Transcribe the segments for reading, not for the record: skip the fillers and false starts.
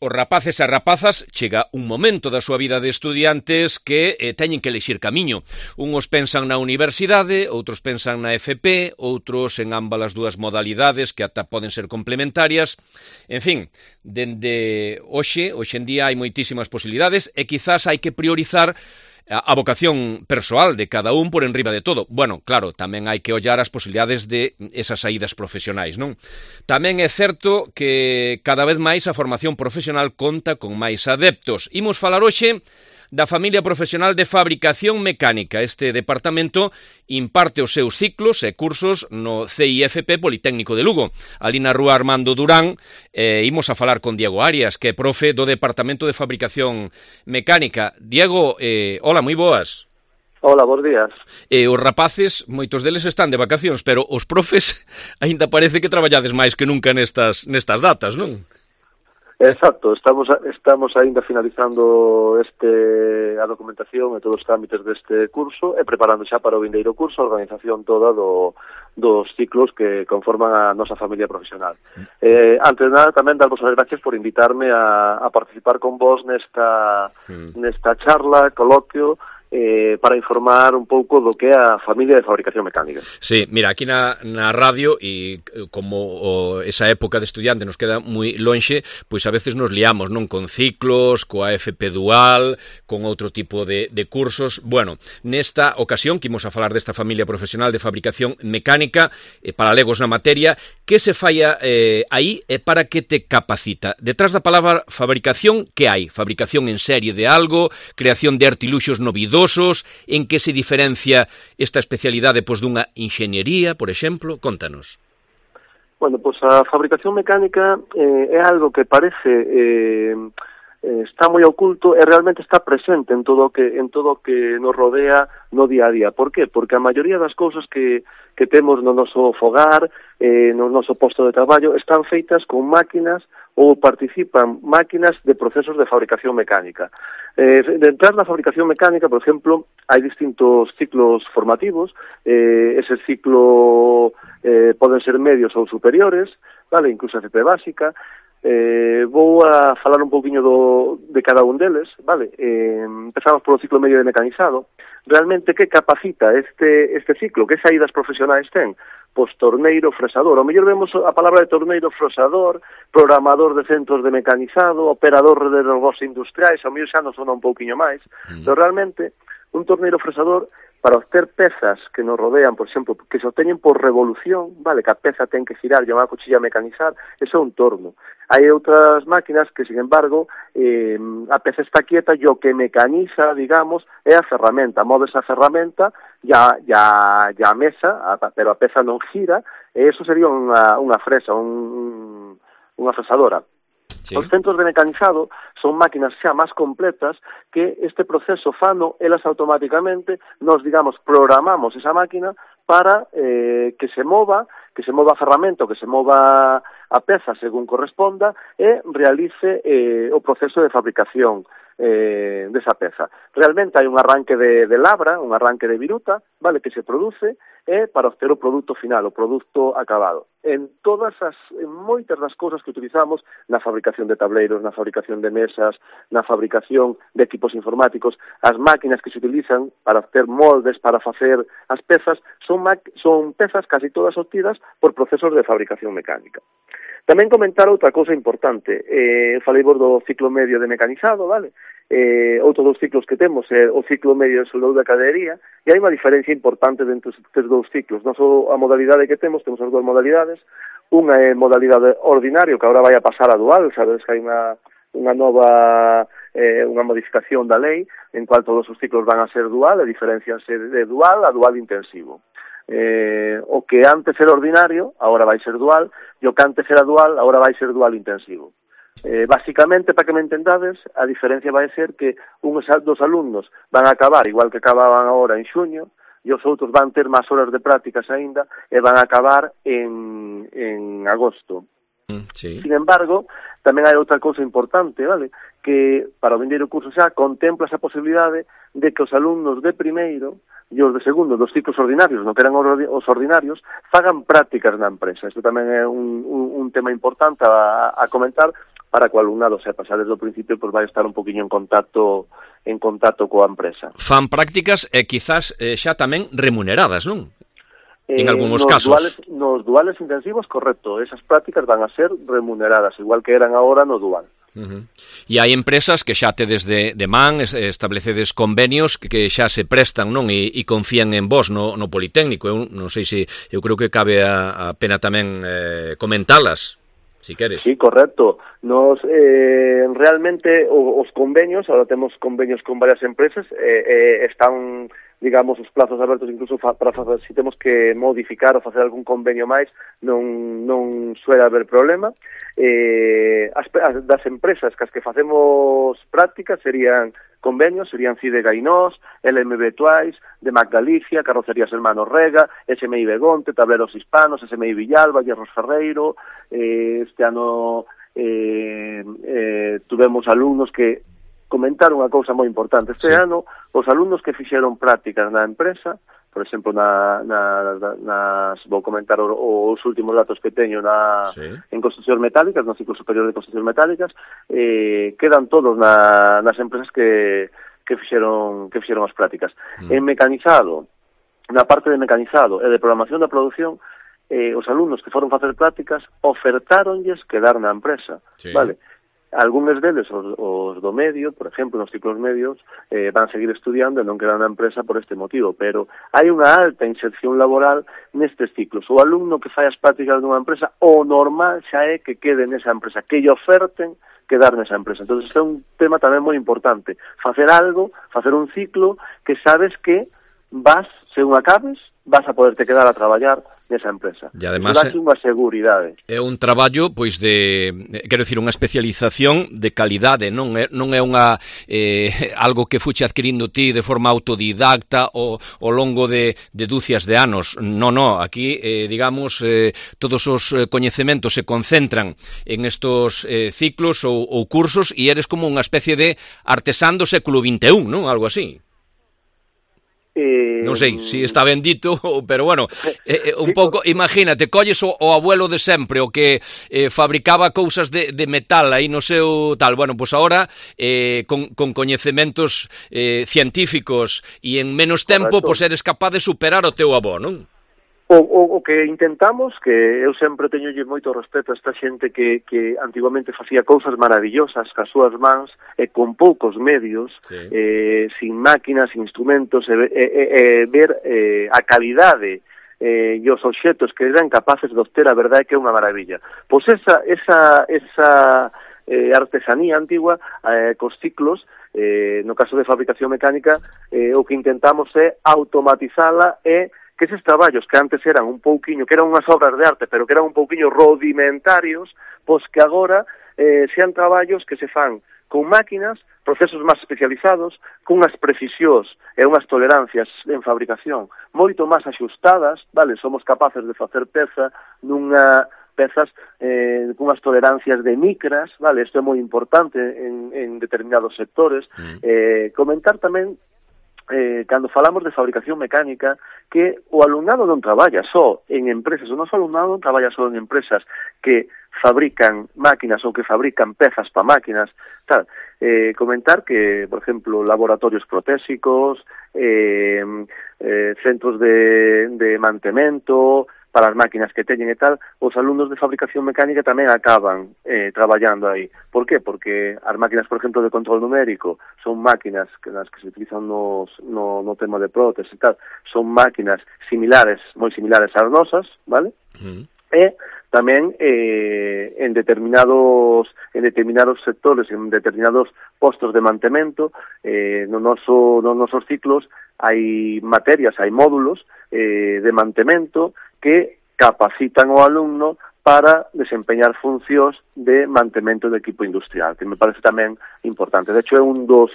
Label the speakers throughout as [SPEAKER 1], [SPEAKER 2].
[SPEAKER 1] Os rapaces e rapazas chega un momento da súa vida de estudiantes que teñen que elixir camiño. Unhos pensan na universidade, outros pensan na FP, outros en ambas as dúas modalidades que ata poden ser complementarias. En fin, dende hoxe en día hai moitísimas posibilidades e quizás hai que priorizar a vocación persoal de cada un por enriba de todo. Bueno, claro, tamén hai que ollar as posibilidades de esas saídas profesionais, non? Tamén é certo que cada vez máis a formación profesional conta con máis adeptos. Imos falar hoxe da familia profesional de fabricación mecánica. Este departamento imparte os seus ciclos e cursos no CIFP Politécnico de Lugo. Ali na rúa Armando Durán, imos a falar con Diego Arias, que é profe do Departamento de Fabricación Mecánica. Diego, hola, moi boas.
[SPEAKER 2] Hola, bons días.
[SPEAKER 1] Os rapaces, moitos deles están de vacacións, pero os profes aínda parece que traballades máis que nunca nestas datas, non?
[SPEAKER 2] Exacto, estamos aínda finalizando a documentación e todos os trámites deste curso e preparando xa para o vindeiro curso a organización toda dos ciclos que conforman a nosa familia profesional. Antes de nada, tamén darvos as gracias por invitarme a participar con vos nesta charla, coloquio, para informar un pouco do que é a familia de fabricación mecánica.
[SPEAKER 1] Sí, mira, aquí na radio, e como esa época de estudiante nos queda moi lonxe, pois a veces nos liamos, non? Con ciclos, coa FP dual, con outro tipo de cursos. Bueno, nesta ocasión que imos a falar desta familia profesional de fabricación mecánica, para legos na materia, que se falla aí e para que te capacita? Detrás da palabra fabricación, que hai? Fabricación en serie de algo, creación de artiluxos novidosos, en que se diferencia esta especialidade dunha enxeñería, por exemplo? Contanos.
[SPEAKER 2] Bueno, a fabricación mecánica é algo que parece está moi oculto e realmente está presente en todo o que nos rodea no día a día. Por qué? Porque a maioría das cousas que temos no noso fogar, no noso posto de traballo, están feitas con máquinas ou participan máquinas de procesos de fabricación mecánica. Detrás da fabricación mecánica, por exemplo, hai distintos ciclos formativos, ese ciclo poden ser medios ou superiores, vale, incluso FP básica. Vou a falar un pouquiño de cada un deles, vale? Empezamos polo ciclo medio de mecanizado. Realmente, que capacita este ciclo? Que saídas profesionais ten? Pois torneiro, fresador. Ao mellor vemos a palabra de torneiro, fresador, programador de centros de mecanizado, operador de robós industriais, ao mellor xa nos sona un pouquiño máis, pero realmente un torneiro fresador, para obter pezas que nos rodean, por exemplo, que se obteñen por revolución, vale, que a peza ten que girar, llamar a cuchilla a mecanizar, eso é un torno. Hai outras máquinas que, sin embargo, a peza está quieta e o que mecaniza, digamos, é a ferramenta. Moves a ferramenta e a mesa, pero a peza non gira, e eso sería unha fresa, unha fresadora. Sí. Os centros de mecanizado son máquinas xa máis completas que este proceso fano elas automáticamente, nos, digamos, programamos esa máquina para que se mova a ferramenta, que se mova a peza según corresponda e realice o proceso de fabricación desa peza. Realmente hai un arranque de labra, un arranque de viruta, vale, que se produce para obter o produto final, o produto acabado. En moitas das cousas que utilizamos na fabricación de tableiros, na fabricación de mesas, na fabricación de equipos informáticos, as máquinas que se utilizan para obter moldes, para facer as pezas, son pezas casi todas obtidas por procesos de fabricación mecánica. Tamén comentar outra cousa importante. Falei vos do ciclo medio de mecanizado, vale? Outro dos ciclos que temos é o ciclo medio de soldadura de cadería, e hai unha diferencia importante dentro destes dous ciclos. Non só a modalidade que temos as dúas modalidades. Unha é modalidade ordinario, que agora vai a pasar a dual, sabes que hai unha nova unha modificación da lei, en cual todos os ciclos van a ser dual, e diferencianse de dual a dual intensivo. O que antes era ordinario, agora vai ser dual, e o que antes era dual, agora vai ser dual intensivo. Básicamente, para que me entendades, a diferencia vai ser que uns dos alumnos van a acabar igual que acababan agora en xuño, e os outros van ter máis horas de prácticas aínda e van a acabar en agosto. Sí. Sin embargo, tamén hai outra cousa importante, vale? Que para o vindeiro curso xa contempla esa posibilidade de que os alumnos de primeiro e os de segundo dos ciclos ordinarios, non que eran os ordinarios, fagan prácticas na empresa. Isto tamén é un tema importante a comentar, para que o alumnado sepa xa desde o principio, pois vai estar un poquinho en contacto coa empresa.
[SPEAKER 1] Fan prácticas e quizás xa tamén remuneradas, non? En algúns casos.
[SPEAKER 2] Nos duales intensivos, correcto, esas prácticas van a ser remuneradas, igual que eran agora no dual.
[SPEAKER 1] E hai empresas que xa tedes de man, establecedes convenios que xa se prestan, non? E confían en vos no Politécnico. Eu non sei se, eu creo que cabe a pena tamén comentalas, si queres.
[SPEAKER 2] Sí, correcto. Nos realmente os convenios, ahora temos convenios con varias empresas, están, digamos, os plazos abertos incluso para se temos que modificar ou facer algún convenio máis, non suele haber problema. Das empresas cas que facemos prácticas serían convenios, serían CIDE Gainós, LMB Twice, de Mac Galicia, Carrocerías Hermanos Rega, SMI Begonte, Tableros Hispanos, SMI Villalba, Hierros Ferreiro. Este ano tuvemos alumnos que comentaron unha cousa moi importante. Este ano, os alumnos que fixeron prácticas na empresa, por exemplo, vou comentar os últimos datos que teño en construccións metálicas, no ciclo superior de construccións metálicas, quedan todos nas empresas que fixeron as prácticas. En mecanizado, na parte de mecanizado e de programación da produción, os alumnos que foron facer prácticas ofertáronlles quedar na empresa, vale? Algúns deles, os do medio, por exemplo, nos ciclos medios, van seguir estudiando e non quedan na empresa por este motivo, pero hai unha alta inserción laboral nestes ciclos. O alumno que fai as prácticas nunha empresa, o normal xa é que quede nesa empresa, que lle oferten quedar nesa empresa. Entón, este é un tema tamén moi importante. Facer algo, facer un ciclo que sabes que vas, según acabes, vas a poderte quedar a traballar nesa empresa.
[SPEAKER 1] E además
[SPEAKER 2] dá unha seguridade.
[SPEAKER 1] É un traballo, pois, quero dicir, unha especialización de calidade, non é unha algo que fuche adquirindo ti de forma autodidacta ao longo de dúcias de anos. Non, aquí, digamos, todos os coñecementos se concentran en estos ciclos ou cursos e eres como unha especie de artesán do século XXI, non? Algo así. Non sei se está ben dito, pero bueno, un pouco, imagínate, colles o abuelo de sempre, o que fabricaba cousas de metal aí no seu tal, bueno, pois agora con coñecementos científicos e en menos tempo, pois eres capaz de superar o teu avó, non?
[SPEAKER 2] O que intentamos, que eu sempre teñolle moito respeto a esta xente que antiguamente facía cousas maravillosas cas súas mans e con poucos medios, sin máquinas, sin instrumentos, ver a calidade e os obxetos que eran capaces de obter, a verdade que é unha maravilla. Pois esa artesanía antigua, cos ciclos, no caso de fabricación mecánica, o que intentamos é automatizala e que eses traballos que antes eran un pouquiño, que eran unhas obras de arte, pero que eran un pouquiño rudimentarios, pois que agora sean traballos que se fan con máquinas, procesos máis especializados, con unhas precisións e unhas tolerancias en fabricación moito máis axustadas, vale? Somos capaces de facer pezas con unhas tolerancias de micras, vale? Isto é moi importante en determinados sectores. Comentar tamén, cando falamos de fabricación mecánica, que o alumnado non traballa só en empresas, o noso alumnado non traballa só en empresas que fabrican máquinas ou que fabrican pezas para máquinas, tal. Comentar que, por exemplo, laboratorios protésicos, centros de mantemento para as máquinas que teñen e tal, os alumnos de fabricación mecánica tamén acaban traballando aí. Por qué? Porque as máquinas, por exemplo, de control numérico son máquinas nas que se utilizan no tema de prótesis e tal, son máquinas similares, moi similares ás nosas, vale? E tamén en determinados sectores, en determinados postos de mantemento, nos nosos ciclos hai materias, hai módulos de mantemento que capacitan o alumno para desempeñar funcións de mantemento de equipo industrial, que me parece tamén importante. De hecho, é un dos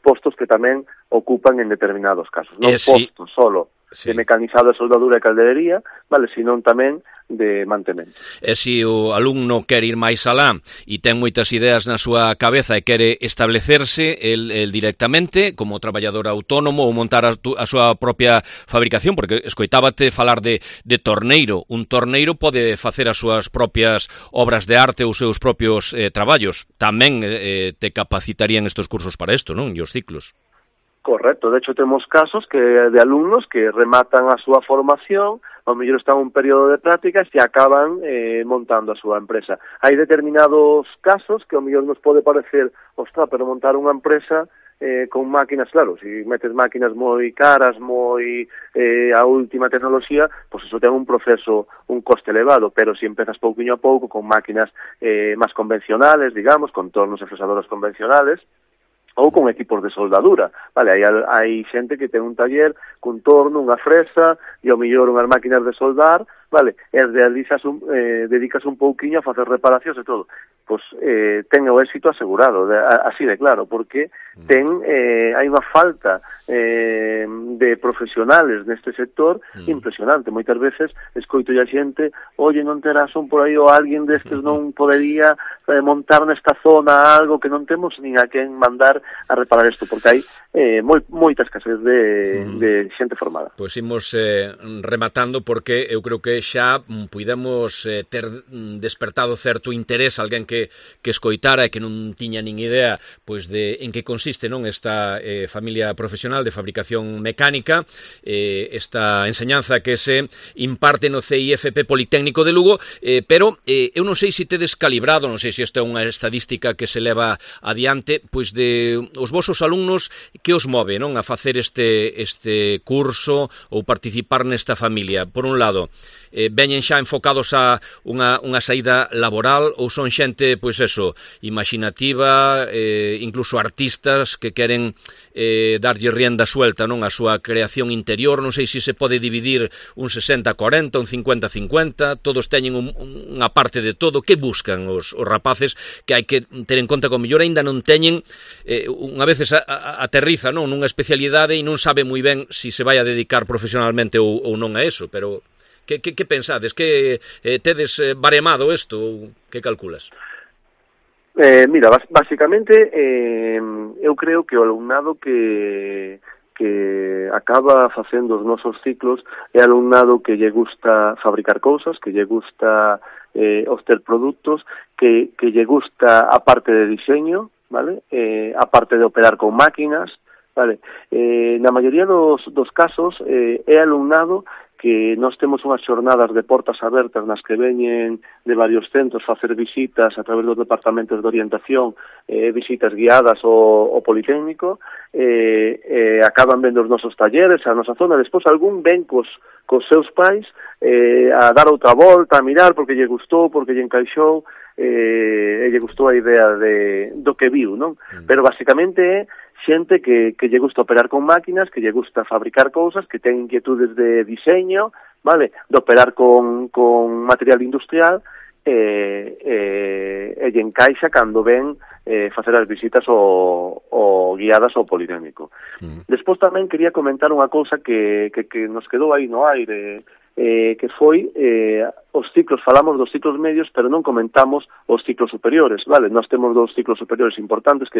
[SPEAKER 2] postos que tamén ocupan en determinados casos. Non postos solo de mecanizado, soldadura e calderería, vale, senón tamén mantemento.
[SPEAKER 1] E se o alumno quer ir máis alá e ten moitas ideas na súa cabeza e quere establecerse el directamente como traballador autónomo ou montar a súa propia fabricación, porque escoitábate falar de torneiro. Un torneiro pode facer as súas propias obras de arte ou os seus propios traballos. Tamén te capacitarían estes cursos para isto, non? E os ciclos.
[SPEAKER 2] Correcto, de hecho temos casos de alumnos que rematan a súa formación, ao mellor están un período de prácticas e acaban montando a súa empresa. Hai determinados casos que ao mellor nos pode parecer, ostras, pero montar unha empresa con máquinas, claro, se metes máquinas moi caras, moi a última tecnoloxía, pois eso ten un proceso, un coste elevado, pero se empezas pouquiño a pouco con máquinas máis convencionales, digamos, con tornos e fresadoras convencionales, ou con equipos de soldadura, vale, hai xente que ten un taller cun torno, unha fresa e ao mellor unhas máquinas de soldar, vale, e dedicas un pouquiño a facer reparacións e todo. Pois ten o éxito asegurado, así de claro, porque hai unha falta de profesionales neste sector impresionante. Moitas veces escoito a xente, oye, non terás un por aí ou alguén destes non podería montar nesta zona algo que non temos nin a quen mandar a reparar isto, porque hai moita escasez de xente formada.
[SPEAKER 1] Pois imos rematando, porque eu creo que xa puidemos ter despertado certo interés alguén que escoitara e que non tiña nin idea pois de en que consiste, non, esta familia profesional de fabricación mecánica, esta enseñanza que se imparte no CIFP Politécnico de Lugo, pero eu non sei se tedes calibrado, non sei se esta é unha estadística que se leva adiante, pois de os vosos alumnos que os move, non, a facer este curso ou participar nesta familia. Por un lado, veñen xa enfocados a unha saída laboral ou son xente, pois eso, imaginativa, incluso artistas que queren darlle rienda suelta, non, a súa creación interior. Non sei se se pode dividir un 60-40, un 50-50, todos teñen unha parte de todo. Que buscan os rapaces, que hai que ter en conta que o mellor aínda non teñen, unha vez aterriza, non, nunha especialidade e non sabe moi ben se se vai a dedicar profesionalmente ou non a eso, pero que pensades? Que tedes baremado isto? Que calculas?
[SPEAKER 2] Mira, basicamente eu creo que o alumnado que acaba facendo os nosos ciclos é alumnado que lle gusta fabricar cousas, que lle gusta obter produtos, que lle gusta a parte de diseño, vale? A parte de operar con máquinas, vale? Na maioría dos casos é alumnado que nós temos unhas xornadas de portas abertas nas que veñen de varios centros facer visitas a través dos departamentos de orientación, visitas guiadas ao Politécnico, acaban vendo os nosos talleres, a nosa zona, despois algún ven cos seus pais a dar outra volta, a mirar porque lle gustou, porque lle encaixou, e lle gustou a idea do que viu, non? Pero basicamente é xente que lle gusta operar con máquinas, que lle gusta fabricar cousas, que ten inquietudes de diseño, vale, de operar con material industrial, e lle encaixa cando ven facer as visitas o guiadas ao Politécnico. Despois tamén quería comentar unha cousa que nos quedou aí no aire, que foi os ciclos, falamos dos ciclos medios, pero non comentamos os ciclos superiores, vale? Nós temos dos ciclos superiores importantes, que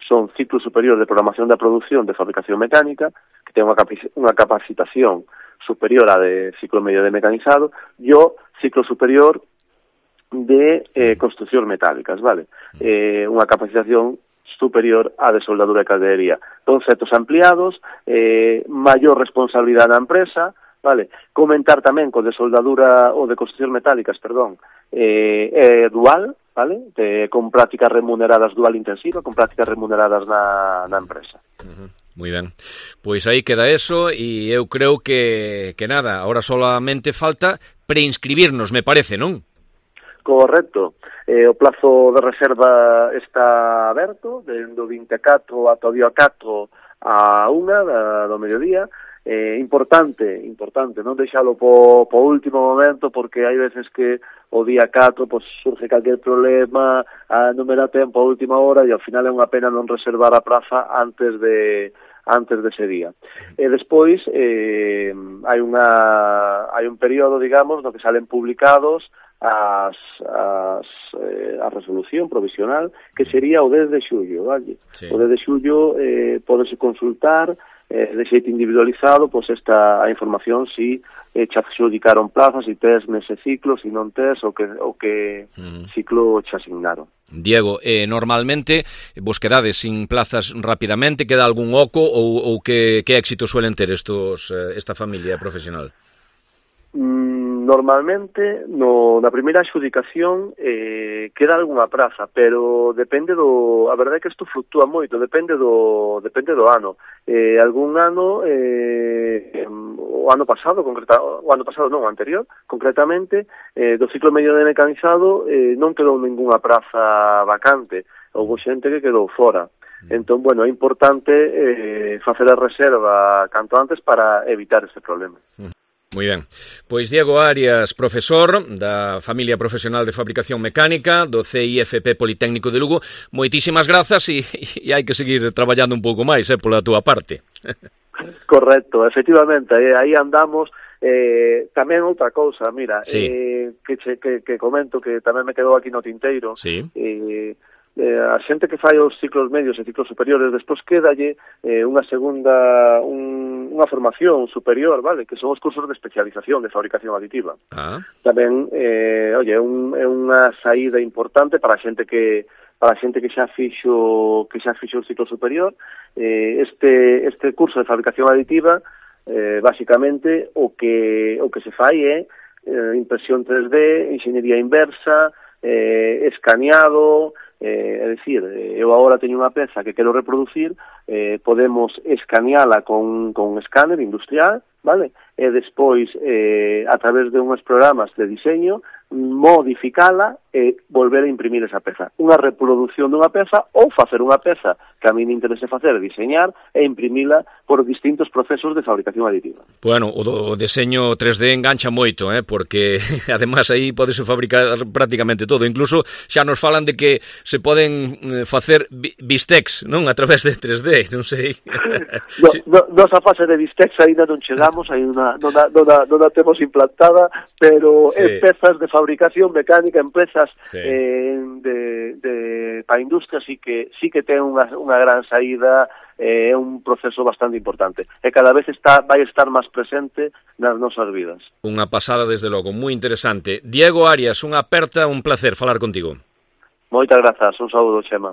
[SPEAKER 2] son ciclo superior de programación da producción de fabricación mecánica, que ten unha capacitación superior a de ciclo medio de mecanizado, e o ciclo superior de construcción metálicas, vale? Unha capacitación superior a de soldadura e calderería. Conceptos ampliados, maior responsabilidade na empresa, vale? Comentar tamén co de soldadura ou de construcción metálicas, perdón, dual, vale? Con prácticas remuneradas dual intensiva, con prácticas remuneradas na empresa.
[SPEAKER 1] Moi ben, pois aí queda eso, e eu creo que nada, ahora solamente falta preinscribirnos, me parece, non?
[SPEAKER 2] Correcto. O plazo de reserva está aberto, do 24 ata o día 4 a 1 do mediodía. Importante non deixalo po último momento, porque hai veces que o día 4 pues, surge calquer problema, non me dá tempo a última hora, e ao final é unha pena non reservar a praza antes antes dese día. E despois hai un período, digamos, no que salen publicados a resolución provisional, que sería o 10 de xullo, vale? Sí. O 10 de xullo podese consultar de xeito individualizado a información si xa adjudicaron plazas, si tes nese ciclo, si non tes, o que ciclo xa asignaron.
[SPEAKER 1] Diego, normalmente vos quedades sin plazas rapidamente, queda algún oco ou que éxito suelen ter esta familia profesional?
[SPEAKER 2] Normalmente, na primeira adjudicación queda algunha praza, pero depende a verdade é que isto fluctúa moito, depende do ano. Algún ano, o ano pasado non, o anterior, concretamente, do ciclo medio de mecanizado non quedou ningunha praza vacante, houve xente que quedou fora. Entón, bueno, é importante facer a reserva canto antes para evitar ese problema.
[SPEAKER 1] Moi ben. Pois Diego Arias, profesor da familia profesional de fabricación mecánica do CIFP Politécnico de Lugo, moitísimas grazas e hai que seguir traballando un pouco máis pola túa parte.
[SPEAKER 2] Correcto, efectivamente, aí andamos. Tamén outra cousa, mira, sí. que comento que tamén me quedou aquí no tinteiro. Sí. A xente que fai os ciclos medios e ciclos superiores, despois quédalle unha formación superior, vale, que son os cursos de especialización de fabricación aditiva. Tamén, é unha saída importante para a xente que xa fixo o ciclo superior. Este curso de fabricación aditiva, basicamente, o que se fai é impresión 3D, enxeñería inversa, escaneado. É dicir, eu agora teño unha peza que quero reproducir, podemos escaneala con escáner industrial, vale? E despois, a través de uns programas de diseño, modificala e volver a imprimir esa peza. Unha reproducción dunha peza ou facer unha peza que a mí me interese facer, diseñar e imprimila por distintos procesos de fabricación aditiva.
[SPEAKER 1] Bueno, o deseño 3D engancha moito, porque además aí podese fabricar prácticamente todo. Incluso xa nos falan de que se poden facer bistecs, non? A través de 3D, non sei.
[SPEAKER 2] Nosa fase de bistecs ainda non chegamos, ainda non a temos implantada, pero sí. Pezas de fabricación mecánica, empresas para a industria sí que ten unha gran saída, é un proceso bastante importante e cada vez vai estar máis presente nas nosas vidas.
[SPEAKER 1] Unha pasada, desde logo, moi interesante. Diego Arias, unha aperta, un placer falar contigo.
[SPEAKER 2] Moitas grazas, un saúdo, Chema.